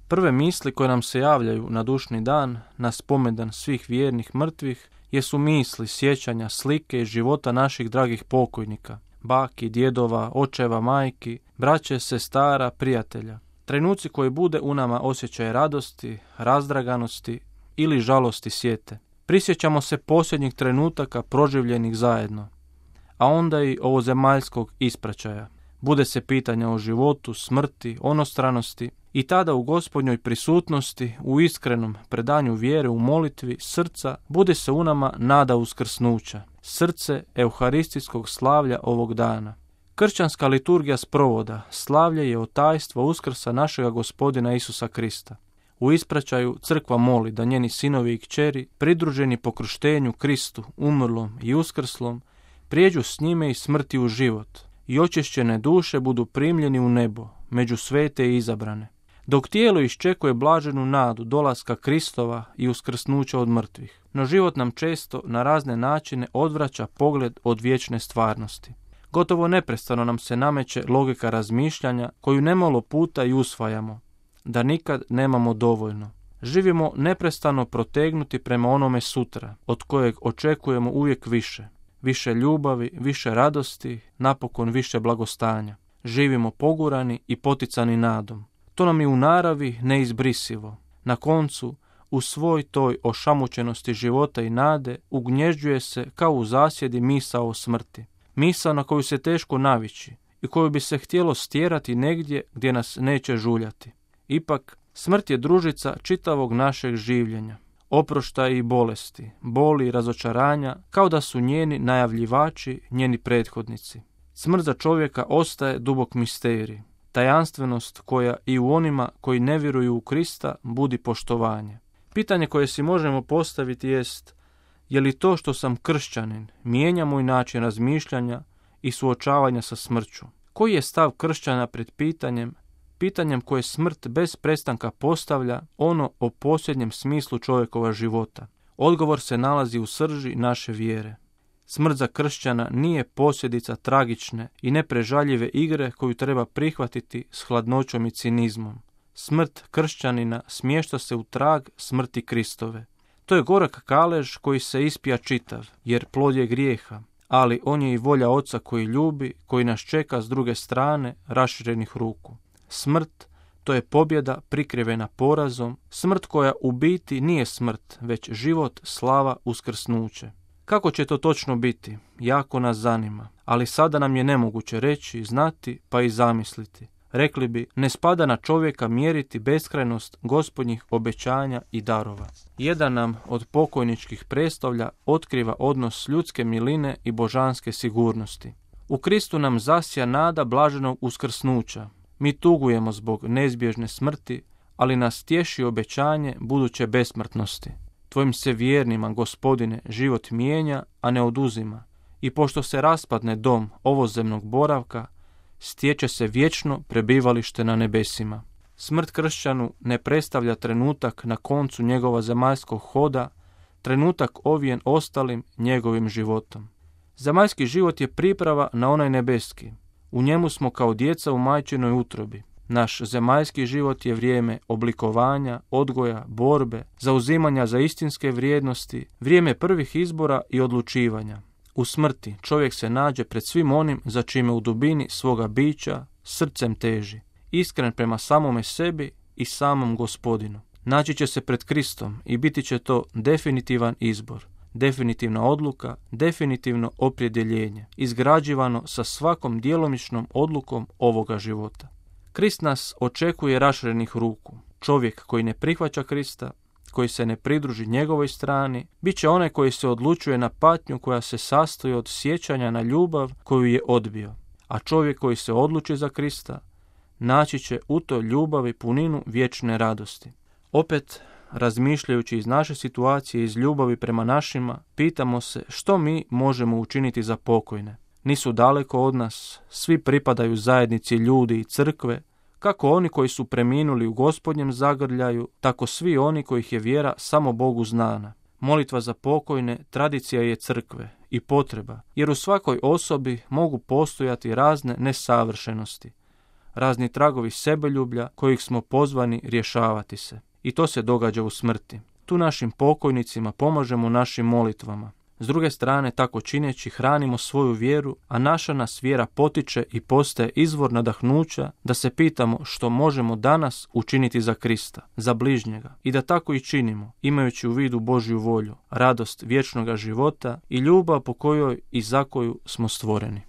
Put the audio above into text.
Prve misli koje nam se javljaju na dušni dan, na spomendan svih vjernih mrtvih, jesu misli, sjećanja, slike iz života naših dragih pokojnika, baki, djedova, očeva, majki, braće, sestara, prijatelja. Trenuci koji bude u nama osjećaj radosti, razdraganosti ili žalosti sjete. Prisjećamo se posljednjih trenutaka proživljenih zajedno, a onda i ovozemaljskog ispraćaja. Bude se pitanja o životu, smrti, onostranosti i tada u Gospodnjoj prisutnosti, u iskrenom predanju vjere u molitvi srca, bude se u nama nada uskrsnuća, srce euharistijskog slavlja ovog dana. Kršćanska liturgija sprovoda slavlje je tajstvo uskrsa našega Gospodina Isusa Krista. U ispraćaju crkva moli da njeni sinovi i kćeri, pridruženi po krštenju Kristu, umrlom i uskrslom, prijeđu s njime iz smrti u život i očišćene duše budu primljeni u nebo, među svete i izabrane. Dok tijelo iščekuje blaženu nadu dolaska Kristova i uskrsnuća od mrtvih. No život nam često na razne načine odvraća pogled od vječne stvarnosti. Gotovo neprestano nam se nameće logika razmišljanja koju nemalo puta i usvajamo, da nikad nemamo dovoljno. Živimo neprestano protegnuti prema onome sutra, od kojeg očekujemo uvijek više. Više ljubavi, više radosti, napokon više blagostanja. Živimo pogurani i poticani nadom. To nam je u naravi neizbrisivo. Na koncu, u svoj toj ošamućenosti života i nade, ugnježđuje se kao u zasjedi misao o smrti. Misao na koju se teško navići i koju bi se htjelo stjerati negdje gdje nas neće žuljati. Ipak, smrt je družica čitavog našeg življenja. Oproštaja i bolesti, boli i razočaranja, kao da su njeni najavljivači, njeni prethodnici. Smrt za čovjeka ostaje dubok misterij, tajanstvenost koja i u onima koji ne vjeruju u Krista budi poštovanje. Pitanje koje si možemo postaviti jest, je li to što sam kršćanin mijenja moj način razmišljanja i suočavanja sa smrću? Koji je stav kršćana pred pitanjem koje smrt bez prestanka postavlja ono o posljednjem smislu čovjekova života? Odgovor se nalazi u srži naše vjere. Smrt za kršćana nije posljedica tragične i neprežaljive igre koju treba prihvatiti s hladnoćom i cinizmom. Smrt kršćanina smješta se u trag smrti Kristove. To je gorak kalež koji se ispija čitav, jer plod je grijeha, ali on je i volja Oca koji ljubi, koji nas čeka s druge strane raširenih ruku. Smrt, to je pobjeda prikrivena porazom, smrt koja u biti nije smrt, već život, slava, uskrsnuće. Kako će to točno biti? Jako nas zanima, ali sada nam je nemoguće reći, znati pa i zamisliti. Rekli bi, ne spada na čovjeka mjeriti beskrajnost Gospodnjih obećanja i darova. Jedan nam od pokojničkih predstavlja otkriva odnos ljudske miline i božanske sigurnosti. U Kristu nam zasja nada blaženog uskrsnuća. Mi tugujemo zbog neizbježne smrti, ali nas tješi obećanje buduće besmrtnosti. Tvojim se vjernima, Gospodine, život mijenja, a ne oduzima. I pošto se raspadne dom ovozemnog boravka, stječe se vječno prebivalište na nebesima. Smrt kršćanu ne predstavlja trenutak na koncu njegova zemaljskog hoda, trenutak ovijen ostalim njegovim životom. Zemaljski život je priprava na onaj nebeski. U njemu smo kao djeca u majčinoj utrobi. Naš zemaljski život je vrijeme oblikovanja, odgoja, borbe, zauzimanja za istinske vrijednosti, vrijeme prvih izbora i odlučivanja. U smrti čovjek se nađe pred svim onim za čime u dubini svoga bića srcem teži, iskren prema samome sebi i samom Gospodinu. Naći će se pred Kristom i biti će to definitivan izbor, definitivna odluka, definitivno opredjeljenje, izgrađivano sa svakom djelomičnom odlukom ovoga života. Krist nas očekuje raširenih ruku. Čovjek koji ne prihvaća Krista, koji se ne pridruži njegovoj strani, bit će onaj koji se odlučuje na patnju koja se sastoji od sjećanja na ljubav koju je odbio. A čovjek koji se odluči za Krista, naći će u toj ljubavi puninu vječne radosti. Opet, razmišljajući iz naše situacije, iz ljubavi prema našima, pitamo se što mi možemo učiniti za pokojne. Nisu daleko od nas, svi pripadaju zajednici ljudi i crkve, kako oni koji su preminuli u Gospodnjem zagrljaju, tako svi oni kojih je vjera samo Bogu znana. Molitva za pokojne tradicija je crkve i potreba, jer u svakoj osobi mogu postojati razne nesavršenosti, razni tragovi sebeljublja kojih smo pozvani rješavati se. I to se događa u smrti. Tu našim pokojnicima pomažemo našim molitvama. S druge strane, tako čineći, hranimo svoju vjeru, a naša nas vjera potiče i postaje izvor nadahnuća da se pitamo što možemo danas učiniti za Krista, za bližnjega, i da tako i činimo, imajući u vidu Božju volju, radost vječnoga života i ljubav po kojoj i za koju smo stvoreni.